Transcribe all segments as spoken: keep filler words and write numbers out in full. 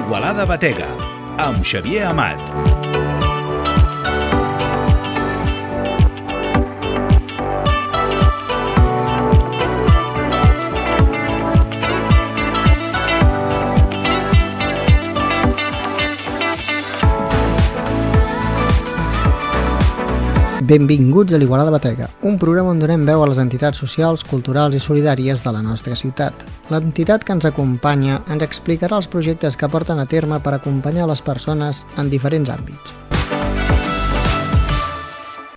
L'Igualada Batega, amb Xavier Amat. Benvinguts a l'Igualada Batega, un programa on donem veu a les entitats socials, culturals i solidàries de la nostra ciutat. L'entitat que ens acompanya ens explicarà els projectes que porten a terme per acompanyar les persones en diferents àmbits.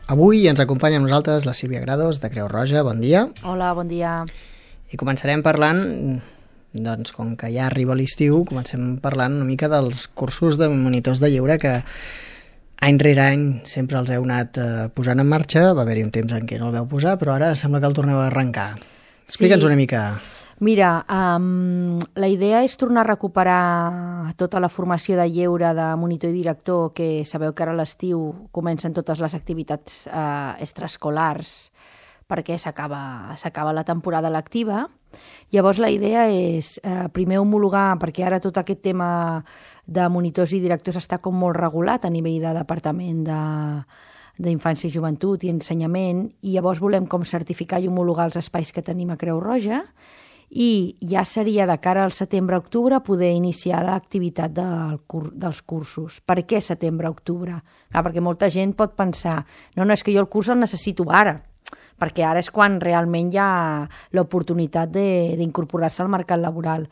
Avui ens acompanya amb nosaltres la Sílvia Grados, de Creu Roja. Bon dia. Hola, bon dia. I començarem parlant, doncs com que ja arriba l'estiu, comencem parlant una mica dels cursos de monitors de lleure que any rere any sempre els heu anat eh, posant en marxa. Va haver-hi un temps en què no el veu posar, però ara sembla que el torneu a arrencar. Explica'ns sí. una mica. Mira, um, la idea és tornar a recuperar tota la formació de lleure de monitor i director, que sabeu que ara a l'estiu comencen totes les activitats eh, extraescolars perquè s'acaba s'acaba la temporada lectiva. Llavors la idea és eh, primer homologar, perquè ara tot aquest tema de monitors i directors està com molt regulat a nivell de departament de, d'infància i joventut i ensenyament, i llavors volem com certificar i homologar els espais que tenim a Creu Roja, i ja seria de cara al setembre-octubre poder iniciar l'activitat del cur- dels cursos. Per què setembre-octubre? Ah, perquè molta gent pot pensar, no, no, és que jo el curs el necessito ara, perquè ara és quan realment hi ha l'oportunitat de, d'incorporar-se al mercat laboral.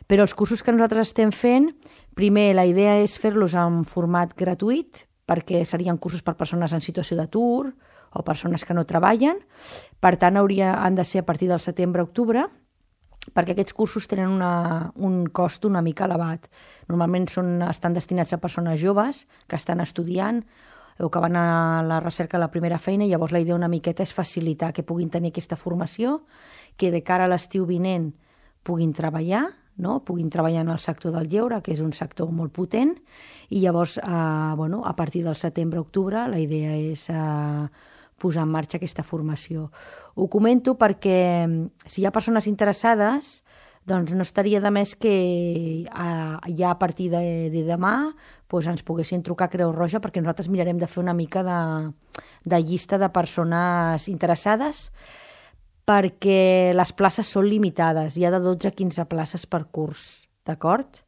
Però els cursos que nosaltres estem fent, primer la idea és fer-los en format gratuït, perquè serien cursos per persones en situació d'atur o persones que no treballen. Per tant, hauria, han de ser a partir del setembre-octubre, perquè aquests cursos tenen una, un cost una mica elevat. Normalment són, estan destinats a persones joves que estan estudiant o que van a la recerca de la primera feina, i llavors la idea una miqueta és facilitar que puguin tenir aquesta formació, que de cara a l'estiu vinent puguin treballar, no? puguin treballar en el sector del lleure, que és un sector molt potent, i llavors eh, bueno, a partir del setembre-octubre la idea és eh, posar en marxa aquesta formació. Ho comento perquè si hi ha persones interessades, doncs no estaria de més que eh, ja a partir de, de demà doncs ens poguessin trucar a Creu Roja, perquè nosaltres mirarem de fer una mica de, de llista de persones interessades, perquè les places són limitades, hi ha de dotze a quinze places per curs, d'acord?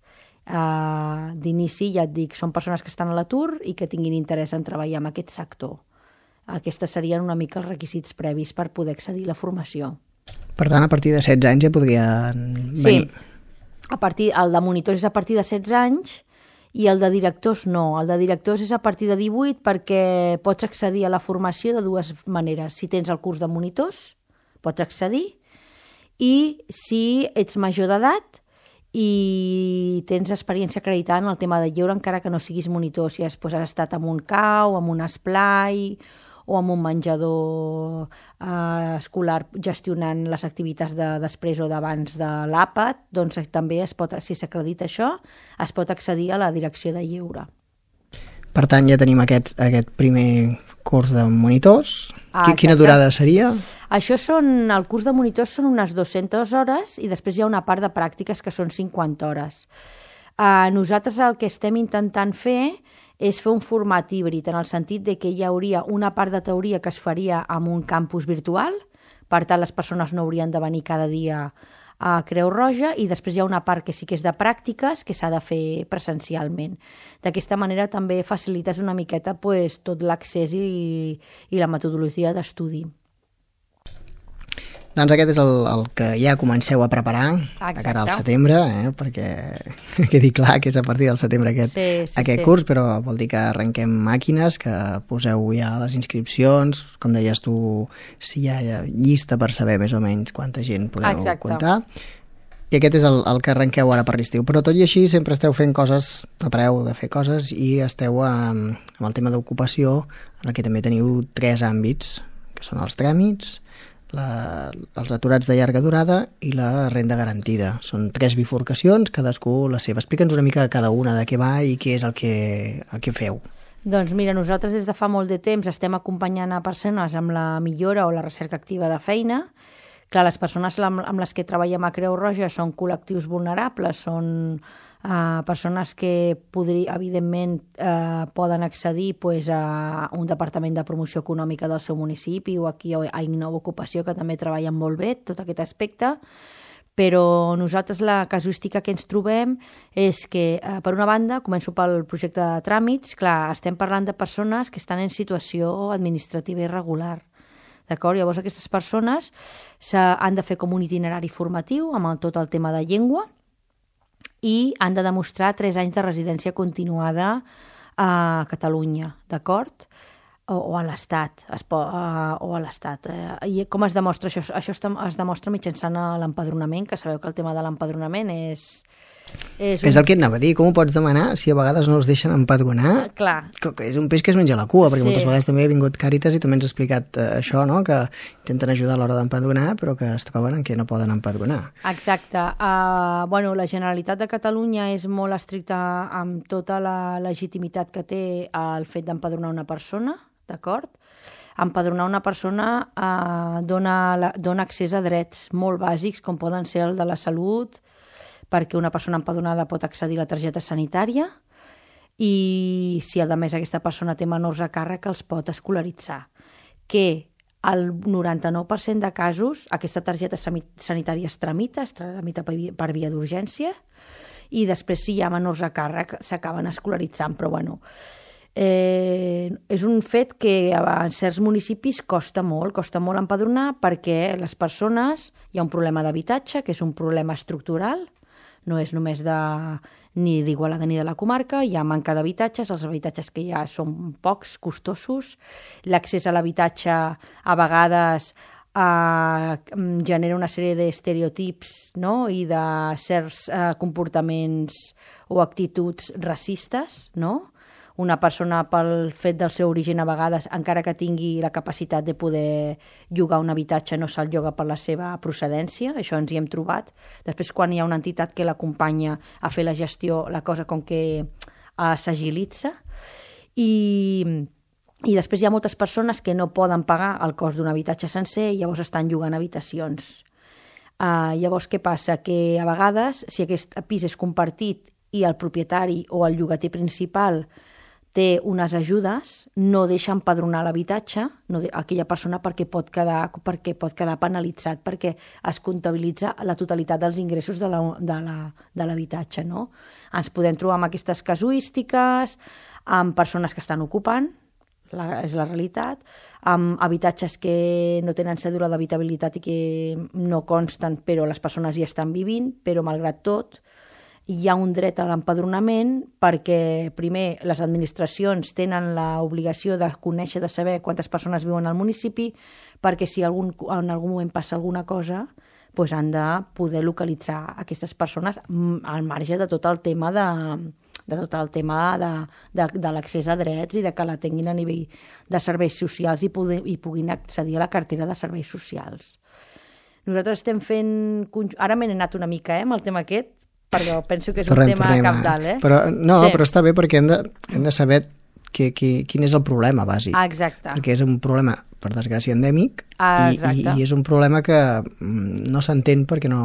Uh, d'inici, ja et dic, són persones que estan a l'atur i que tinguin interès en treballar en aquest sector. Aquests serien una mica els requisits previs per poder accedir a la formació. Per tant, a partir de setze anys ja podrien venir. Sí, a partir, el de monitors és a partir de setze anys i el de directors no. El de directors és a partir de divuit, perquè pots accedir a la formació de dues maneres. Si tens el curs de monitors, pots accedir, i si ets major d'edat i tens experiència acreditada en el tema de lleure, encara que no siguis monitor, si has, doncs, has estat en un cau, en un esplai o amb un menjador eh, escolar gestionant les activitats de després o d'abans de l'àpat, doncs també es pot, si s'acredita això, es pot accedir a la direcció de lleure. Per tant, ja tenim aquest, aquest primer curs de monitors. Ah, Quina durada seria? Això són, el curs de monitors són unes dues-centes hores i després hi ha una part de pràctiques que són cinquanta hores. Eh, nosaltres el que estem intentant fer és fer un format híbrid, en el sentit de que hi hauria una part de teoria que es faria en un campus virtual, per tant les persones no haurien de venir cada dia a Creu Roja, i després hi ha una part que sí que és de pràctiques que s'ha de fer presencialment. D'aquesta manera també facilites una miqueta pues, tot l'accés i, i la metodologia d'estudi. Doncs aquest és el, el que ja comenceu a preparar. Exacte. De cara al setembre, eh? Perquè quedi clar que és a partir del setembre aquest, sí, sí, aquest sí. curs, però vol dir que arrenquem màquines, que poseu ja les inscripcions, com deies tu, si hi ha llista per saber més o menys quanta gent podeu Exacte. Comptar. I aquest és el, el que arrenqueu ara per l'estiu. Però tot i així sempre esteu fent coses, no pareu de fer coses, i esteu amb, amb el tema d'ocupació, en el que també teniu tres àmbits, que són els tràmits, La, els aturats de llarga durada i la renda garantida. Són tres bifurcacions, cadascú la seva. Explica'ns una mica cada una de què va i què és el que, el que feu. Doncs mira, nosaltres des de fa molt de temps estem acompanyant a persones amb la millora o la recerca activa de feina. Clar, les persones amb, amb les que treballem a Creu Roja són col·lectius vulnerables, són uh, persones que, podri, evidentment, uh, poden accedir pues, a un departament de promoció econòmica del seu municipi o aquí a Innova Ocupació, que també treballen molt bé tot aquest aspecte, però nosaltres la casuística que ens trobem és que, eh, per una banda, començo pel projecte de tràmits, clar, estem parlant de persones que estan en situació administrativa irregular, d'acord? Llavors aquestes persones han de fer com un itinerari formatiu amb tot el tema de llengua i han de demostrar tres anys de residència continuada a Catalunya, d'acord? O, o a l'Estat, uh, o a l'Estat. Uh, I com es demostra això? Això es, es demostra mitjançant l'empadronament, que sabeu que el tema de l'empadronament és... És, un... és el que et anava a dir, com ho pots demanar si a vegades no els deixen empadronar? Clar. Que és un peix que es menja la cua, perquè sí. Moltes vegades també ha vingut Càritas i també ens ha explicat uh, això, no? Que intenten ajudar a l'hora d'empadronar, però que es troben en què no poden empadronar. Exacte. Uh, bueno, la Generalitat de Catalunya és molt estricta amb tota la legitimitat que té el fet d'empadronar una persona, d'acord? Empadronar una persona eh, dona, dona accés a drets molt bàsics, com poden ser el de la salut, perquè una persona empadronada pot accedir a la targeta sanitària i si a més aquesta persona té menors a càrrec els pot escolaritzar. Que el noranta-nou per cent de casos aquesta targeta sanitària es tramita, es tramita per via d'urgència i després si hi ha menors a càrrec s'acaben escolaritzant, però bueno... Eh, és un fet que en certs municipis costa molt, costa molt empadronar perquè les persones, hi ha un problema d'habitatge, que és un problema estructural, no és només de, ni d'Igualada ni de la comarca, hi ha manca d'habitatges, els habitatges que hi ha són pocs, costosos, l'accés a l'habitatge a vegades eh, genera una sèrie d'estereotips, no? I de certs eh, comportaments o actituds racistes, no? Una persona pel fet del seu origen a vegades, encara que tingui la capacitat de poder llogar un habitatge, no se'l lloga per la seva procedència, això ens hi hem trobat. Després, quan hi ha una entitat que l'acompanya a fer la gestió, la cosa com que uh, s'agilitza. I, I després hi ha moltes persones que no poden pagar el cost d'un habitatge sencer i llavors estan llogant habitacions. Uh, llavors, què passa? Que a vegades, si aquest pis és compartit i el propietari o el llogater principal té unes ajudes, no deixa empadronar l'habitatge, no de, aquella persona perquè pot, quedar, perquè pot quedar penalitzat, perquè es comptabilitza la totalitat dels ingressos de l'habitatge. La, no? Ens podem trobar amb aquestes casuístiques, amb persones que estan ocupant, la, és la realitat, amb habitatges que no tenen cèdula d'habitabilitat i que no consten, però les persones hi estan vivint, però malgrat tot, hi ha un dret a l'empadronament perquè, primer, les administracions tenen l'obligació de conèixer, de saber quantes persones viuen al municipi, perquè si algun, en algun moment passa alguna cosa, doncs han de poder localitzar aquestes persones al marge de tot el tema de, de tot el tema de, de, de l'accés a drets i de que la tinguin a nivell de serveis socials i, poder, i puguin accedir a la cartera de serveis socials. Nosaltres estem fent... Ara m'he anat una mica eh, amb el tema aquest, perquè penso que és torrem, un tema torrem, cabdal, eh? Però, no, sí. Però està bé perquè hem de, hem de saber que, que, quin és el problema bàsic. Ah, exacte. Perquè és un problema, per desgràcia, endèmic ah, i, i, i és un problema que no s'entén perquè no,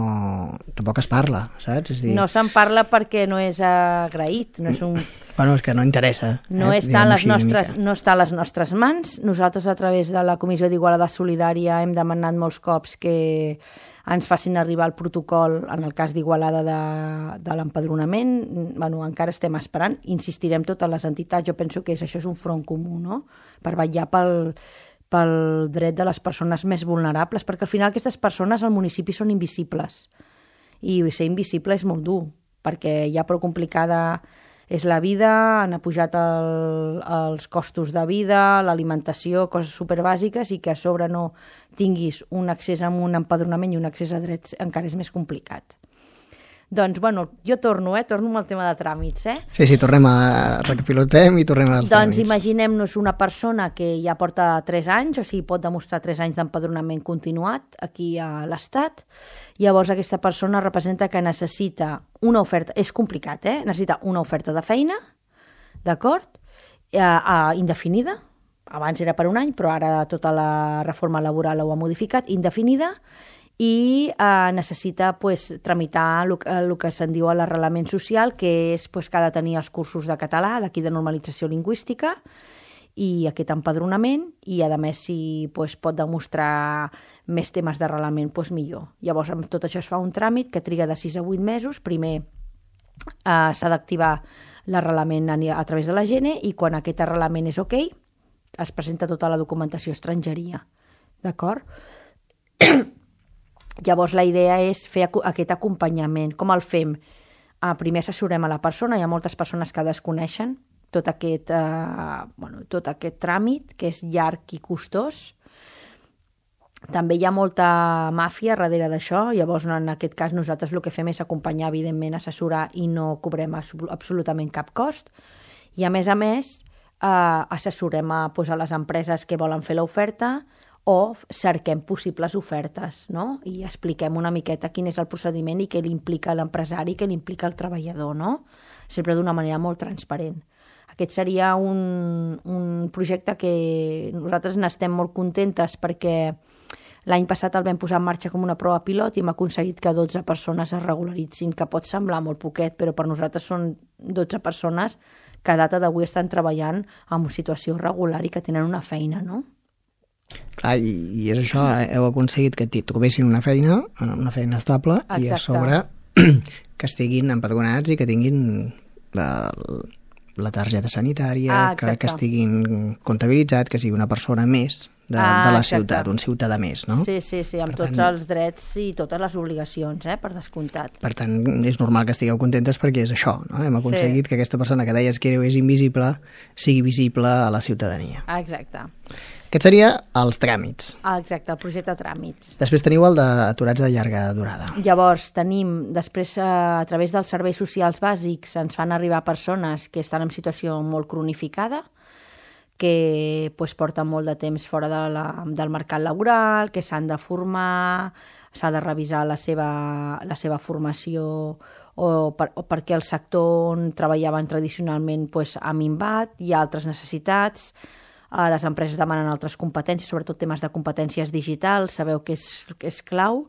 tampoc es parla, saps? És dir... No se'n parla perquè no és agraït, no és un... Bueno, és que no interessa. No, eh? està les nostres, no està a les nostres mans. Nosaltres, a través de la Comissió d'Igualada Solidària, hem demanat molts cops que ens facin arribar el protocol en el cas d'Igualada de, de l'empadronament. Bueno, encara estem esperant. Insistirem totes les entitats. Jo penso que és, això és un front comú, no? Per vetllar pel, pel dret de les persones més vulnerables, perquè al final aquestes persones al municipi són invisibles. I ser invisible és molt dur, perquè ja prou complicada és la vida, han pujat el, els costos de vida, l'alimentació, coses superbàsiques, i que a sobre no tinguis un accés a un empadronament i un accés a drets encara és més complicat. Doncs, bueno, jo torno, eh? Torno amb el tema de tràmits, eh? Sí, sí, tornem a... recapilotem i tornem als doncs tràmits. Doncs imaginem-nos una persona que ja porta tres anys, o sigui, pot demostrar tres anys d'empadronament continuat aquí a l'Estat. Llavors, aquesta persona representa que necessita una oferta... És complicat, eh? Necessita una oferta de feina, d'acord? Eh, eh, indefinida. Abans era per un any, però ara tota la reforma laboral ho ha modificat. Indefinida. i eh, necessita pues, tramitar el, el que se'n diu l'arrelament social, que és pues, que ha de tenir els cursos de català, d'aquí de normalització lingüística, i aquest empadronament, i a més si pues, pot demostrar més temes d'arrelament, pues, millor. Llavors amb tot això es fa un tràmit que triga de sis a vuit mesos. Primer eh, s'ha d'activar l'arrelament a, a través de la Gene, i quan aquest arrelament és ok, es presenta tota la documentació estrangeria. D'acord? Llavors la idea és fer aquest acompanyament. Com el fem? Eh, primer assessorem a la persona, hi ha moltes persones que desconeixen tot aquest, eh, bueno, tot aquest tràmit, que és llarg i costós. També hi ha molta màfia darrere d'això, llavors en aquest cas nosaltres el que fem és acompanyar, evidentment, assessorar, i no cobrem absolutament cap cost. I a més a més, eh, assessorem a, doncs, a les empreses que volen fer l'oferta, o cerquem possibles ofertes, no? I expliquem una miqueta quin és el procediment i què li implica l'empresari, què li implica el treballador, no? Sempre d'una manera molt transparent. Aquest seria un, un projecte que nosaltres n'estem molt contentes, perquè l'any passat el vam posar en marxa com una prova pilot i hem aconseguit que dotze persones es regularitzin, que pot semblar molt poquet, però per nosaltres són dotze persones que a data d'avui estan treballant en situació regular i que tenen una feina, no? Clar, i, i és això, heu aconseguit que trobessin una feina, una feina estable. Exacte. I a sobre que estiguin empadronats i que tinguin la, la targeta sanitària, ah, que, que estiguin comptabilitzats, que sigui una persona més de, ah, de la ciutat, un ciutadà més, no? Sí, sí, sí, amb per tots tant, els drets i totes les obligacions, eh, per descomptat. Per tant, és normal que estigueu contentes perquè és això, no? Hem aconseguit sí. que aquesta persona que deies que és invisible sigui visible a la ciutadania. Ah, exacte. Aquest seria els tràmits. Ah, exacte, el projecte tràmits. Després teniu el d'aturats de llarga durada. Llavors tenim, després a través dels serveis socials bàsics ens fan arribar persones que estan en situació molt cronificada, que pues, porten molt de temps fora de la, del mercat laboral, que s'han de formar, s'ha de revisar la seva, la seva formació, o, per, o perquè el sector on treballaven tradicionalment pues, ha minvat, hi ha altres necessitats, les empreses demanen altres competències, sobretot temes de competències digitals, sabeu que és, que és clau.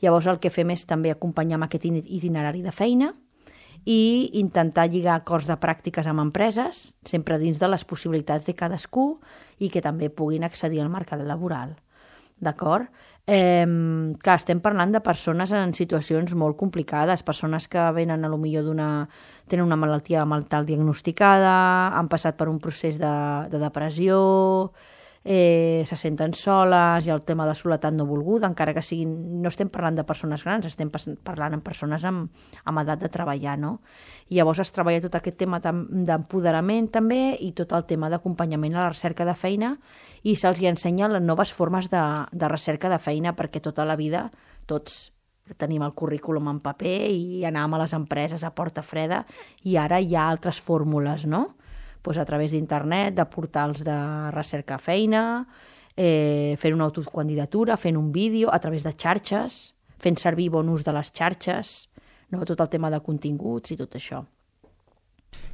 Llavors el que fem és també acompanyar amb aquest itinerari de feina i intentar lligar acords de pràctiques amb empreses, sempre dins de les possibilitats de cadascú i que també puguin accedir al mercat laboral. D'acord? Eh, clar, estem parlant de persones en situacions molt complicades, persones que venen a lo millor d'una... tenen una malaltia mental diagnosticada, han passat per un procés de, de depressió, eh, se senten soles, hi ha el tema de soledat no volguda, encara que siguin... No estem parlant de persones grans, estem parlant amb persones amb, amb edat de treballar, no? I llavors es treballa tot aquest tema d'empoderament també i tot el tema d'acompanyament a la recerca de feina, i se'ls ensenya les noves formes de, de recerca de feina, perquè tota la vida tots tenim el currículum en paper i anàvem a les empreses a porta freda, i ara hi ha altres fórmules, no? Pues a través d'internet, de portals de recerca feina, eh, fent una autocandidatura, fent un vídeo, a través de xarxes, fent servir bon ús de les xarxes, no? Tot el tema de continguts i tot això.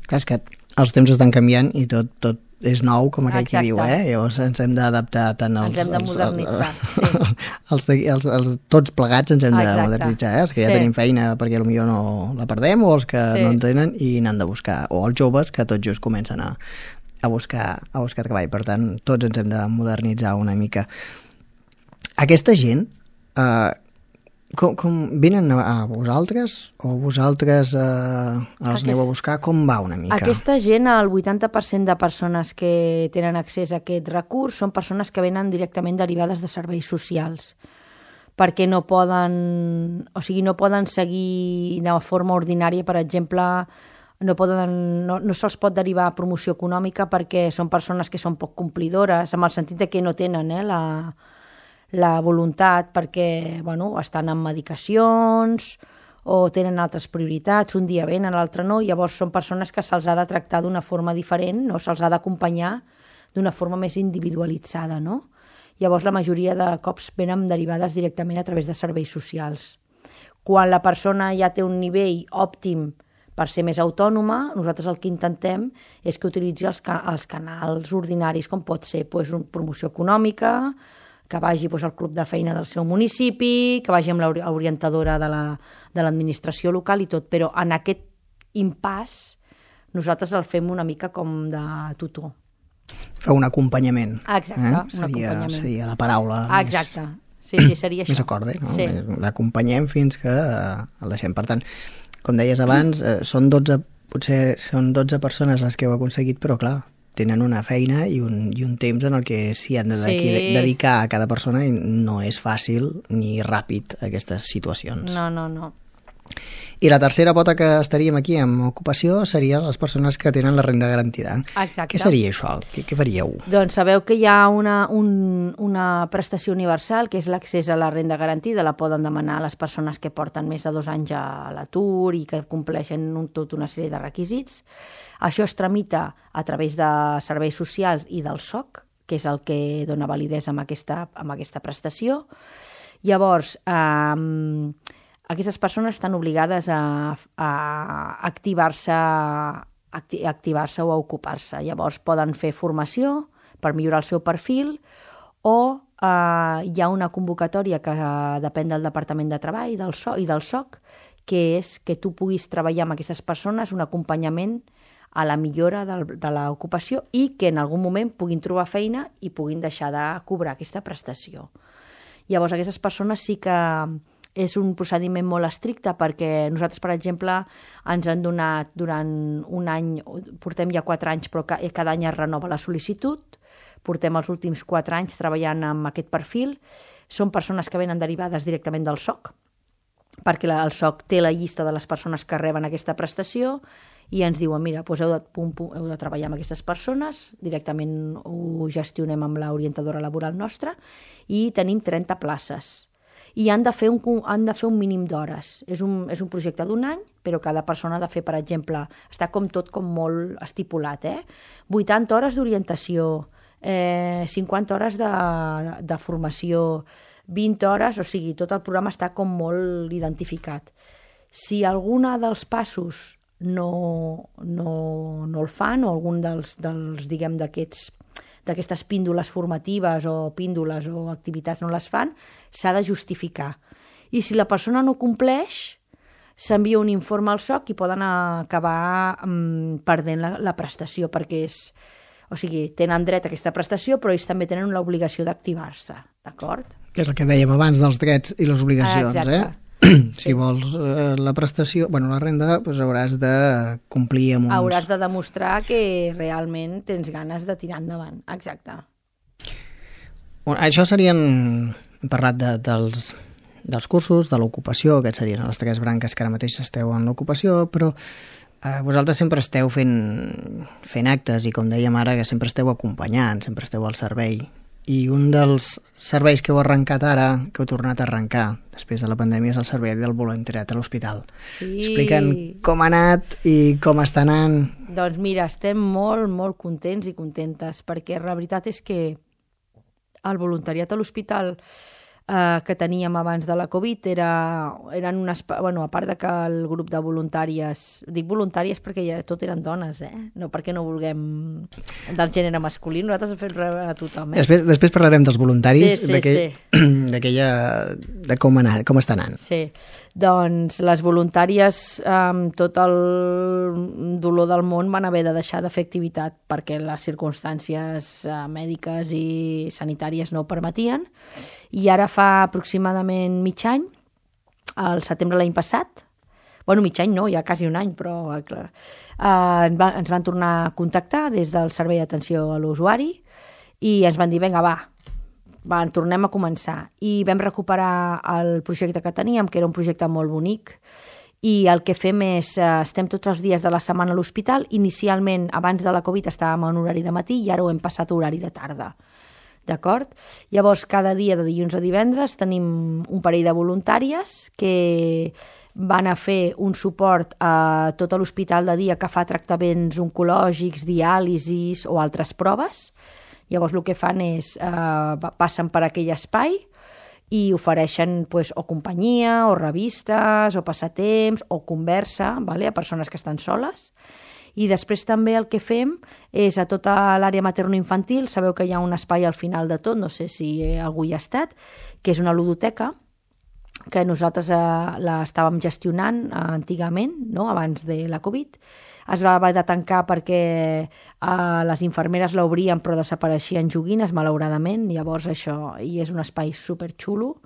Clar, és que els temps estan canviant i tot, tot és nou, com aquell qui diu, eh? Llavors ens hem d'adaptar tant als... Ens hem de modernitzar, els, sí. Els, els, els, tots plegats ens hem de Exacte. modernitzar, eh? Els que ja sí. tenim feina perquè potser no la perdem, o els que sí. no en tenen i n'han de buscar, o els joves que tot just comencen a, a, buscar, a buscar treball. Per tant, tots ens hem de modernitzar una mica. Aquesta gent... Eh, Com, com venen a vosaltres o vosaltres eh, els Aquest, aneu a buscar? Com va una mica? Aquesta gent, el vuitanta per cent de persones que tenen accés a aquest recurs són persones que venen directament derivades de serveis socials, perquè no poden, o sigui, no poden seguir de forma ordinària, per exemple, no, poden, no, no se'ls pot derivar a promoció econòmica perquè són persones que són poc complidores, en el sentit de que no tenen eh, la... la voluntat perquè bueno, estan en medicacions o tenen altres prioritats, un dia venen, l'altre no, llavors són persones que se'ls ha de tractar d'una forma diferent, no? Se'ls ha d'acompanyar d'una forma més individualitzada, no? Llavors la majoria de cops venen derivades directament a través de serveis socials. Quan la persona ja té un nivell òptim per ser més autònoma, nosaltres el que intentem és que utilitzi els, ca els canals ordinaris, com pot ser pues, una promoció econòmica, que vagi doncs, al club de feina del seu municipi, que vagi amb l'orientadora de l'administració local i tot, però en aquest impàs nosaltres el fem una mica com de tutor. Feu un acompanyament. Exacte, eh? un seria, acompanyament. Seria la paraula Exacte. més, sí, sí, seria això. més acorde, no? Sí. L'acompanyem fins que el deixem. Per tant, com deies abans, eh, són dotze, potser són dotze persones les que heu aconseguit, però clar, tenen una feina i un, i un temps en el que s'hi han de sí. dedicar a cada persona i no és fàcil ni ràpid aquestes situacions. No, no, no. I la tercera pota que estaríem aquí amb ocupació serien les persones que tenen la renda garantida. Exacte. Què seria això? Què, què faríeu? Doncs sabeu que hi ha una, un, una prestació universal, que és l'accés a la renda garantida. La poden demanar les persones que porten més de dos anys a l'atur i que compleixen un, tota una sèrie de requisits. Això es tramita a través de serveis socials i del S O C, que és el que dona validesa amb aquesta, amb aquesta prestació. Llavors, eh, aquestes persones estan obligades a, a activar-se acti, activar-se o a ocupar-se. Llavors poden fer formació per millorar el seu perfil o eh, hi ha una convocatòria que depèn del Departament de Treball del so, i del S O C, que és que tu puguis treballar amb aquestes persones un acompanyament a la millora de, de l'ocupació i que en algun moment puguin trobar feina i puguin deixar de cobrar aquesta prestació. Llavors aquestes persones sí que és un procediment molt estricte perquè nosaltres, per exemple, ens han donat durant un any, portem ja quatre anys, però cada any es renova la sol·licitud, portem els últims quatre anys treballant amb aquest perfil, són persones que venen derivades directament del S O C, perquè el S O C té la llista de les persones que reben aquesta prestació i ens diuen, mira, doncs heu de, pum, pum, heu de treballar amb aquestes persones, directament ho gestionem amb l'orientadora laboral nostra i tenim trenta places. I han de fer un, han de fer un mínim d'hores. És un, és un projecte d'un any, però cada persona ha de fer, per exemple, està com tot com molt estipulat, eh? vuitanta hores d'orientació, eh, cinquanta hores de, de formació, vint hores, o sigui, tot el programa està com molt identificat. Si alguna dels passos no, no, no el fan, o algun dels, dels diguem, d'aquests d'aquestes píndoles formatives o píndoles o activitats no les fan, s'ha de justificar. I si la persona no compleix, s'envia un informe al S O C i poden acabar um, perdent la, la prestació, perquè és, o sigui, tenen dret a aquesta prestació, però ells també tenen l'obligació d'activar-se, d'acord? Que és el que dèiem abans dels drets i les obligacions, Exacte. eh? Si sí. vols eh, la prestació, bueno, la renda, doncs hauràs de complir amb uns... Hauràs de demostrar que realment tens ganes de tirar endavant. Exacte. Bueno, això serien... Hem parlat de, dels, dels cursos, de l'ocupació, aquests serien les tres branques que ara mateix esteu en l'ocupació, però eh, vosaltres sempre esteu fent, fent actes i, com dèiem ara, que sempre esteu acompanyant, sempre esteu al servei. I un dels serveis que heu arrencat ara, que heu tornat a arrencar després de la pandèmia, és el servei del voluntariat a l'hospital. Sí. Expliquen com ha anat i com està anant. Doncs mira, estem molt, molt contents i contentes, perquè la veritat és que el voluntariat a l'hospital eh, que teníem abans de la Covid era, eren unes... Bueno, a part de que el grup de voluntàries... Dic voluntàries perquè ja tot eren dones, eh? No perquè no vulguem del gènere masculí, nosaltres hem fet rebre a tothom. Eh? Després, després parlarem dels voluntaris, sí, sí, d'aquella... Sí. de com, anar, com està anant. Sí, doncs les voluntàries amb tot el dolor del món van haver de deixar de fer activitat perquè les circumstàncies eh, mèdiques i sanitàries no ho permetien. I ara fa aproximadament mig any, al setembre l'any passat, bueno, mig any no, ja quasi un any, però clar, eh, ens van tornar a contactar des del Servei d'Atenció a l'Usuari i ens van dir, vinga, va, va, tornem a començar. I vam recuperar el projecte que teníem, que era un projecte molt bonic, i el que fem és, eh, estem tots els dies de la setmana a l'hospital. Inicialment, abans de la Covid, estàvem en horari de matí i ara ho hem passat a horari de tarda. D'acord? Llavors, cada dia de dilluns a divendres tenim un parell de voluntàries que van a fer un suport a tot l'hospital de dia que fa tractaments oncològics, diàlisis o altres proves. Llavors, el que fan és, eh, passen per aquell espai i ofereixen pues, o companyia, o revistes, o passatemps, o conversa, vale? A persones que estan soles. I després també el que fem és a tota l'àrea materno-infantil, sabeu que hi ha un espai al final de tot, no sé si algú hi ha estat, que és una ludoteca, que nosaltres eh, l'estàvem gestionant eh, antigament, no? Abans de la Covid. Es va haver de tancar perquè eh, les infermeres l'obrien però desapareixien joguines, malauradament. Llavors això, i és un espai superxulo,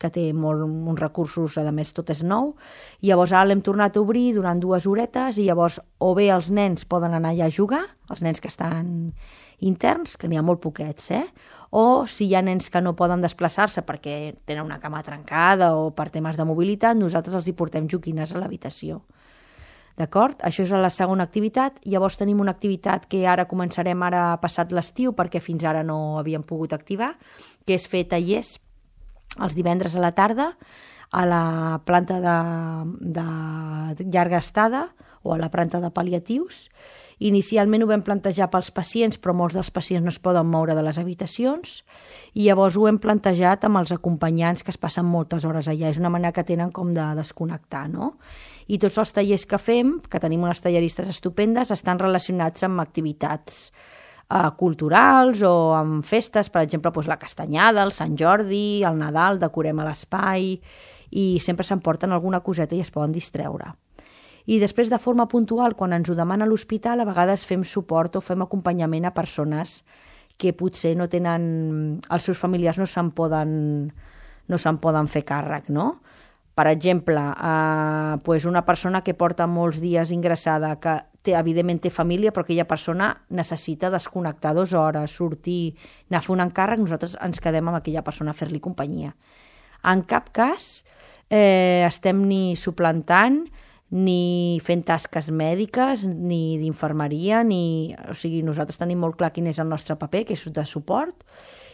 que té molt, uns recursos, a més tot és nou. I llavors ara l'hem tornat a obrir durant dues horetes i llavors o bé els nens poden anar allà a jugar, els nens que estan interns, que n'hi ha molt poquets, eh? O si hi ha nens que no poden desplaçar-se perquè tenen una cama trencada o per temes de mobilitat, nosaltres els hi portem joguines a l'habitació. D'acord? Això és la segona activitat. Llavors tenim una activitat que ara començarem ara passat l'estiu perquè fins ara no havíem pogut activar, que és fer tallers els divendres a la tarda a la planta de, de llarga estada o a la planta de pal·liatius. Inicialment ho vam plantejar pels pacients, però molts dels pacients no es poden moure de les habitacions i llavors ho hem plantejat amb els acompanyants que es passen moltes hores allà. És una manera que tenen com de desconnectar, no? I tots els tallers que fem, que tenim unes talleristes estupendes, estan relacionats amb activitats eh, culturals o amb festes, per exemple, doncs la Castanyada, el Sant Jordi, el Nadal, decorem a l'espai i sempre s'emporten alguna coseta i es poden distreure. I després, de forma puntual, quan ens ho demana l'hospital, a vegades fem suport o fem acompanyament a persones que potser no tenen... els seus familiars no se'n poden, no se'n poden fer càrrec, no? Per exemple, eh, pues una persona que porta molts dies ingressada, que té, evidentment té família, però aquella persona necessita desconnectar dues hores, sortir, anar a fer un encàrrec, nosaltres ens quedem amb aquella persona a fer-li companyia. En cap cas eh, estem ni suplantant ni fent tasques mèdiques, ni d'infermeria, ni... O sigui, nosaltres tenim molt clar quin és el nostre paper, que és de suport,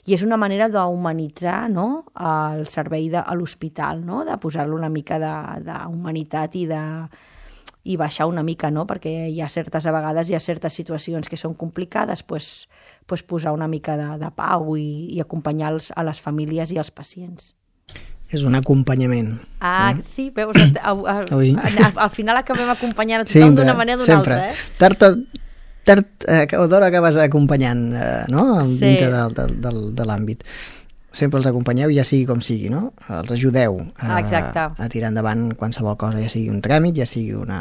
i és una manera d'humanitzar, no?, el servei de, a l'hospital, no?, de posar-lo una mica d'humanitat i de i baixar una mica, no?, perquè hi ha certes, a vegades hi ha certes situacions que són complicades, pues, pues posar una mica de, de pau i, i acompanyar els, a les famílies i als pacients. És un acompanyament. Ah, eh? Sí, veus, al, al, al, al final acabem acompanyant a tothom d'una manera o d'una altra, eh? Tard, tard eh, o d'hora acabes acompanyant, eh, no?, sí. Dintre de, de, de, de l'àmbit. Sempre els acompanyeu, ja sigui com sigui, no? Els ajudeu a, a tirar endavant qualsevol cosa, ja sigui un tràmit, ja sigui una,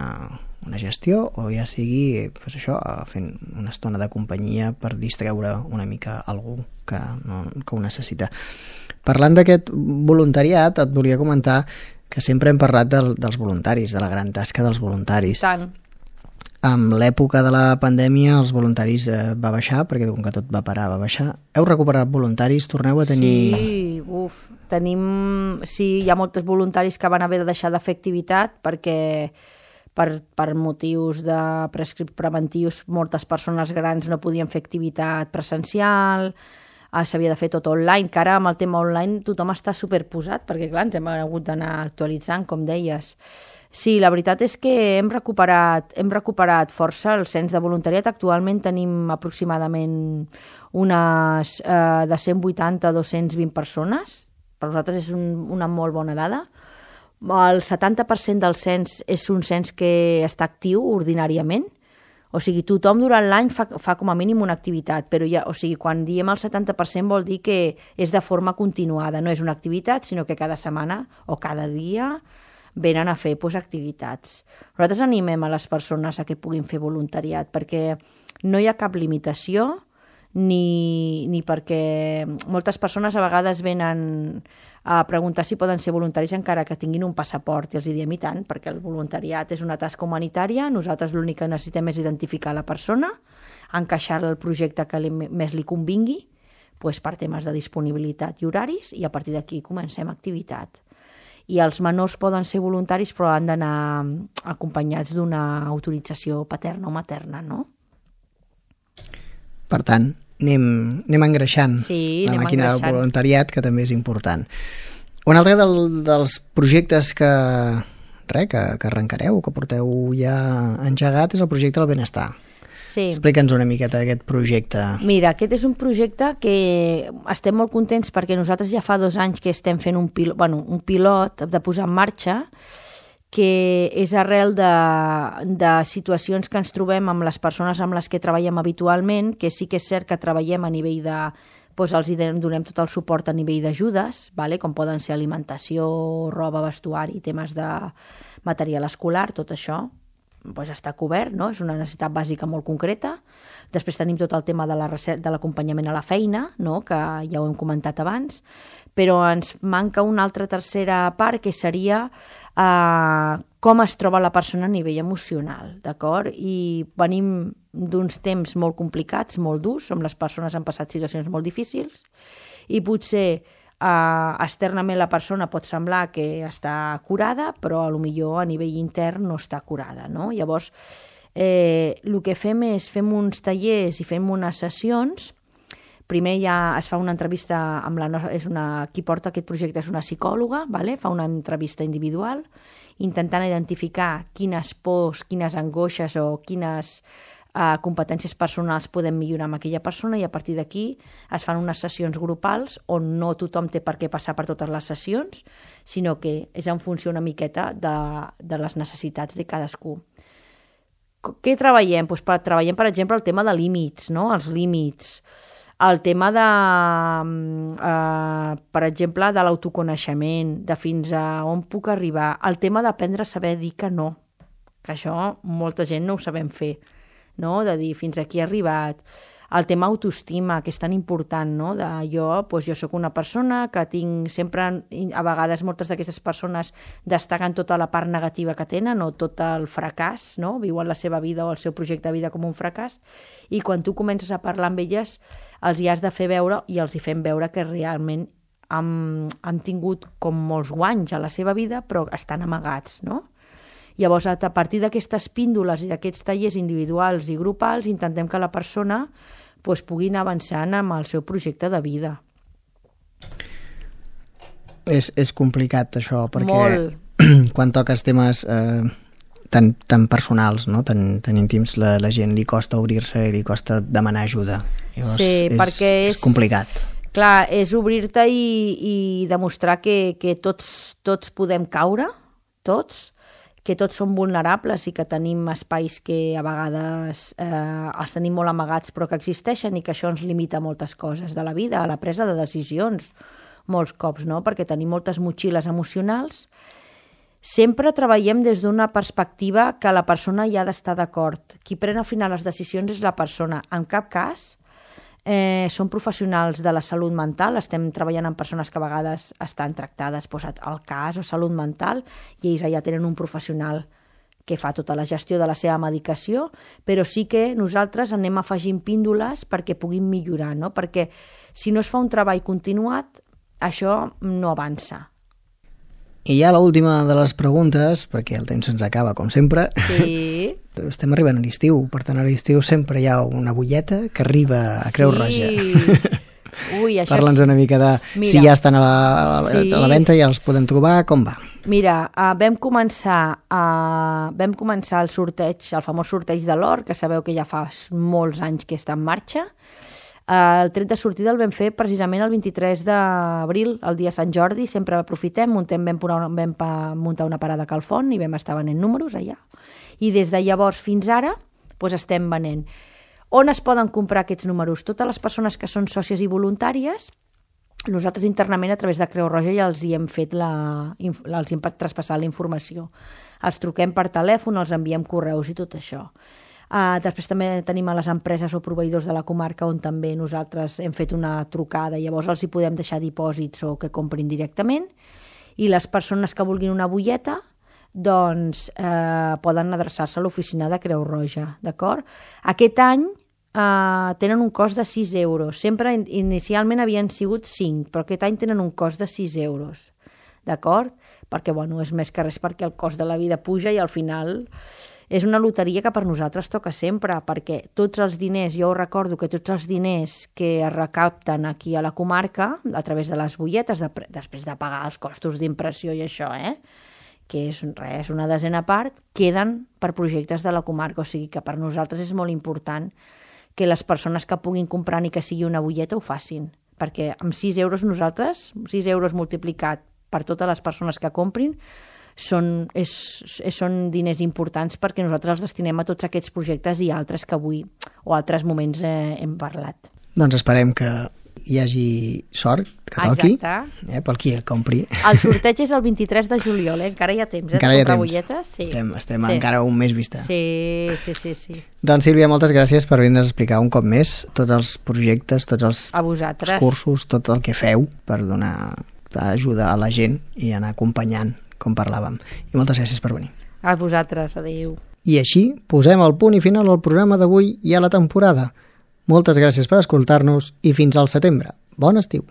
una gestió, o ja sigui, pues això, fent una estona de companyia per distreure una mica algú que, no, que ho necessita. Parlant d'aquest voluntariat, et volia comentar que sempre hem parlat del, dels voluntaris, de la gran tasca dels voluntaris. Tant. Amb l'època de la pandèmia els voluntaris eh, va baixar, perquè com que tot va parar, va baixar. Heu recuperat voluntaris? Torneu a tenir... Sí, uf, tenim... Sí, hi ha molts voluntaris que van haver de deixar de fer activitat perquè per, per motius de prescript preventius moltes persones grans no podien fer activitat presencial, ah, s'havia de fer tot online, que ara amb el tema online tothom està superposat, perquè clar, ens hem hagut d'anar actualitzant, com deies. Sí, la veritat és que hem recuperat, hem recuperat força el cens de voluntariat. Actualment tenim aproximadament unes eh, de cent vuitanta a dos-cents vint persones. Per nosaltres és un, una molt bona dada. El setanta per cent del cens és un cens que està actiu ordinàriament. O sigui, tothom durant l'any fa, fa com a mínim una activitat, però ja, o sigui, quan diem el setanta per cent vol dir que és de forma continuada, no és una activitat, sinó que cada setmana o cada dia venen a fer pues, activitats. Nosaltres animem a les persones a que puguin fer voluntariat, perquè no hi ha cap limitació, ni, ni perquè moltes persones a vegades venen a preguntar si poden ser voluntaris encara que tinguin un passaport, i els diem i tant, perquè el voluntariat és una tasca humanitària, nosaltres l'únic que necessitem és identificar la persona, encaixar-la al projecte que li, més li convingui, pues, per temes de disponibilitat i horaris, i a partir d'aquí comencem activitat. I els menors poden ser voluntaris, però han d'anar acompanyats d'una autorització paterna o materna, no? Per tant, anem, anem engreixant sí, la anem màquina engreixant. de voluntariat, que també és important. Un altre del, dels projectes que, re, que, que arrencareu, que porteu ja engegat, és el projecte del benestar. Sí. Explica'ns una miqueta aquest projecte. Mira, aquest és un projecte que estem molt contents perquè nosaltres ja fa dos anys que estem fent un pilot, bueno, un pilot de posar en marxa, que és arrel de, de situacions que ens trobem amb les persones amb les que treballem habitualment, que sí que és cert que treballem a nivell de... Doncs els donem tot el suport a nivell d'ajudes, vale? Com poden ser alimentació, roba, vestuari, temes de material escolar, tot això doncs està cobert, no? És una necessitat bàsica molt concreta. Després tenim tot el tema de la recerca, de l'acompanyament a la feina, no? Que ja ho hem comentat abans, però ens manca una altra tercera part, que seria eh, com es troba la persona a nivell emocional, d'acord? I venim d'uns temps molt complicats, molt durs, on les persones han passat situacions molt difícils, i potser eh, externament la persona pot semblar que està curada, però a lo millor a nivell intern no està curada, no? Llavors, eh, el que fem és fem uns tallers i fem unes sessions. Primer ja es fa una entrevista amb la nostra, és una, qui porta aquest projecte és una psicòloga, vale? Fa una entrevista individual, intentant identificar quines pors, quines angoixes o quines eh, competències personals podem millorar amb aquella persona, i a partir d'aquí es fan unes sessions grupals on no tothom té per què passar per totes les sessions, sinó que és en funció una miqueta de, de les necessitats de cadascú. Què treballem? Pues per, treballem, per exemple, el tema de límits, no? Els límits, el tema de, eh, per exemple, de l'autoconeixement, de fins a on puc arribar, el tema d'aprendre a saber dir que no, que això molta gent no ho sabem fer, no? De dir fins aquí he arribat, el tema autoestima, que és tan important, no? De jo, doncs jo sóc una persona que tinc sempre, a vegades moltes d'aquestes persones destaquen tota la part negativa que tenen o tot el fracàs, no? Viuen la seva vida o el seu projecte de vida com un fracàs, i quan tu comences a parlar amb elles els hi has de fer veure i els hi fem veure que realment han, han tingut com molts guanys a la seva vida, però estan amagats, no? Llavors, a partir d'aquestes píndoles i d'aquests tallers individuals i grupals, intentem que la persona doncs, pugui anar avançant amb el seu projecte de vida. És, és complicat, això, perquè Molt. Quan toques temes eh, tan, tan personals, no? tan, tan íntims, la, la gent li costa obrir-se i li costa demanar ajuda. Llavors, sí, és, perquè és... és complicat. Clar, és obrir-te i, i demostrar que, que tots, tots podem caure, tots, que tots som vulnerables i que tenim espais que a vegades eh, els tenim molt amagats però que existeixen, i que això ens limita moltes coses de la vida, a la presa de decisions, molts cops, no? Perquè tenim moltes motxilles emocionals. Sempre treballem des d'una perspectiva que la persona hi ha d'estar d'acord. Qui pren al final les decisions és la persona. En cap cas eh, són professionals de la salut mental, estem treballant amb persones que a vegades estan tractades doncs, al cas o salut mental, i ells allà tenen un professional que fa tota la gestió de la seva medicació, però sí que nosaltres anem afegint píndoles perquè puguin millorar, no? Perquè si no es fa un treball continuat, això no avança. I ja l'última de les preguntes, perquè el temps se'ns acaba, com sempre. Sí. Estem arribant a l'estiu, per tant a l'estiu sempre hi ha una bulleta que arriba a Creu sí. Roja. Ui, això Parla'ns és... una mica de Mira, si ja estan a la, a la, sí. a la venda, ja els podem trobar, com va? Mira, uh, vam començar uh, vam començar el sorteig, el famós sorteig de l'or, que sabeu que ja fa molts anys que està en marxa. Uh, el tret de sortida el vam fer precisament el vint-i-tres d'abril, el dia Sant Jordi, sempre aprofitem, muntem, vam, vam, vam muntar una parada a Calfont i vam estar venent números allà. I des de llavors fins ara doncs estem venent. On es poden comprar aquests números? Totes les persones que són sòcies i voluntàries, nosaltres internament a través de Creu Roja ja els hi hem fet la, els hem traspassat la informació. Els truquem per telèfon, els enviem correus i tot això. Uh, després també tenim a les empreses o proveïdors de la comarca on també nosaltres hem fet una trucada, llavors els hi podem deixar dipòsits o que comprin directament, i les persones que vulguin una butlleta doncs eh, poden adreçar-se a l'oficina de Creu Roja, d'acord? Aquest any eh, tenen un cost de sis euros, sempre inicialment havien sigut cinc, però aquest any tenen un cost de sis euros, d'acord? Perquè bueno, és més que res perquè el cost de la vida puja i al final és una loteria que per nosaltres toca sempre, perquè tots els diners, jo recordo que tots els diners que es recapten aquí a la comarca, a través de les butlletes, de, després de pagar els costos d'impressió i això, eh? que és res, una desena part, queden per projectes de la comarca. O sigui que per nosaltres és molt important que les persones que puguin comprar ni que sigui una bulleta ho facin, perquè amb sis euros nosaltres, sis euros multiplicat per totes les persones que comprin, són, és, són diners importants perquè nosaltres els destinem a tots aquests projectes i altres que avui o altres moments eh, hem parlat. Doncs esperem que hi hagi sort, que toqui, eh, pel qui el compri. El sorteig és el vint-i-tres de juliol, eh? Encara hi ha temps, eh? Encara hi ha temps. Butlletes? Sí. Estem, estem sí. encara un mes vista. Sí, sí, sí, sí. Doncs Sílvia, moltes gràcies per vindre's a explicar un cop més tots els projectes, tots els, els cursos, tot el que feu per donar ajuda a la gent i anar acompanyant, com parlàvem. I moltes gràcies per venir. A vosaltres, adéu. I així posem el punt i final al programa d'avui i a la temporada. Moltes gràcies per escoltar-nos i fins al setembre. Bon estiu!